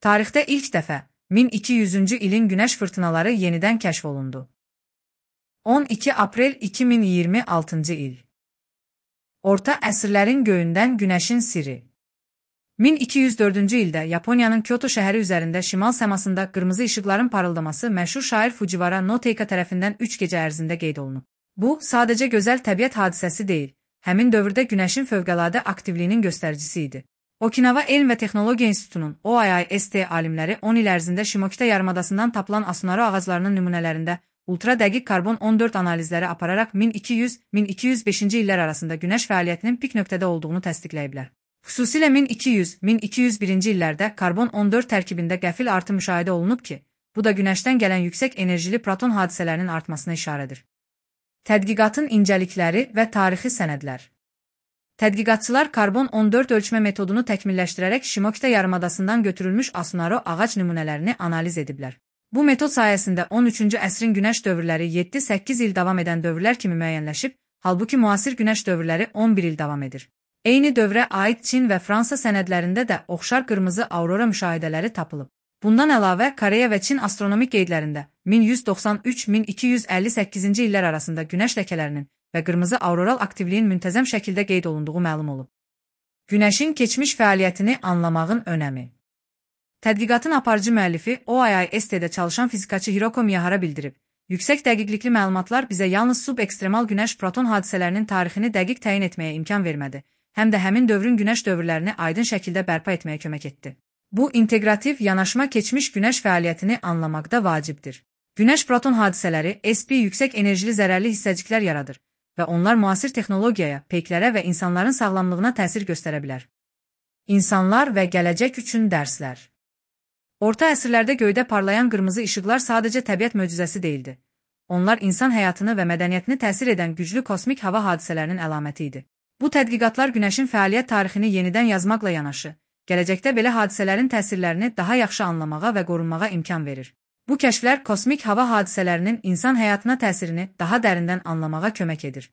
Tarixdə ilk dəfə 1200-cü ilin günəş fırtınaları yenidən kəşf olundu. 12 aprel 2026-cı il. Orta əsrlərin göyündən günəşin sirri. 1204-cü ildə Yaponiyanın Kyoto şəhəri üzərində şimal səmasında qırmızı işıqların parıldaması məşhur şair Fujiwara no Teika tərəfindən 3 gecə ərzində qeyd olunub. Bu, sadəcə gözəl təbiət hadisəsi deyil, həmin dövrdə günəşin fövqəladə aktivliyinin göstəricisi idi. Okinawa Elm və Texnologiya İnstitutunun OIST alimləri 10 il ərzində Shimokita yarımadasından tapılan Asunaro ağaclarının nümunələrində ultra dəqiq karbon 14 analizləri apararaq 1200-1205-ci illər arasında günəş fəaliyyətinin pik nöqtədə olduğunu təsdiqləyiblər. Xüsusilə 1200-1201-ci illərdə karbon 14 tərkibində qəfil artım müşahidə olunub ki, bu da günəşdən gələn yüksək enerjili proton hadisələrinin artmasına işarədir. Tədqiqatın incəlikləri və tarixi sənədlər. Tədqiqatçılar karbon 14 ölçmə metodunu təkmilləşdirərək Shimokita yarımadasından götürülmüş Asunaro ağac nümunələrini analiz ediblər. Bu metod sayəsində 13-cü əsrin günəş dövrləri 7-8 il davam edən dövrlər kimi müəyyənləşib, halbuki müasir günəş dövrləri 11 il davam edir. Eyni dövrə aid Çin və Fransa sənədlərində də oxşar qırmızı aurora müşahidələri tapılıb. Bundan əlavə, Koreya və Çin astronomik qeydlərində 1193-1258-ci illər arasında günəş ləkələrinin və qırmızı auroral aktivliyin müntəzəm şəkildə qeyd olunduğu məlum olub. Günəşin keçmiş fəaliyyətini anlamağın önəmi. Tədqiqatın aparıcı müəllifi OIST-də çalışan fizikaçı Hiroko Miyahara bildirib, yüksək dəqiqlikli məlumatlar bizə yalnız subekstremal günəş proton hadisələrinin tarixini dəqiq təyin etməyə imkan vermədi, həm də həmin dövrün günəş dövrlərini aydın şəkildə bərpa etməyə kömək etdi. Bu, inteqrativ yanaşma keçmiş günəş fəaliyyətini anlamaqda vacibdir. Günəş proton hadisələri SP yüksək enerjili zərərli hissəciklər yaradır və onlar müasir texnologiyaya, peyklərə və insanların sağlamlığına təsir göstərə bilər. İnsanlar və gələcək üçün dərslər. Orta əsrlərdə göydə parlayan qırmızı işıqlar sadəcə təbiət möcüzəsi deyildi. Onlar insan həyatını və mədəniyyətini təsir edən güclü kosmik hava hadisələrinin əlaməti idi. Bu tədqiqatlar günəşin fəaliyyət tarixini yenidən yazmaqla yanaşı, gələcəkdə belə hadisələrin təsirlərini daha yaxşı anlamağa və qorunmağa imkan verir. Bu kəşflər kosmik hava hadisələrinin insan həyatına təsirini daha dərindən anlamağa kömək edir.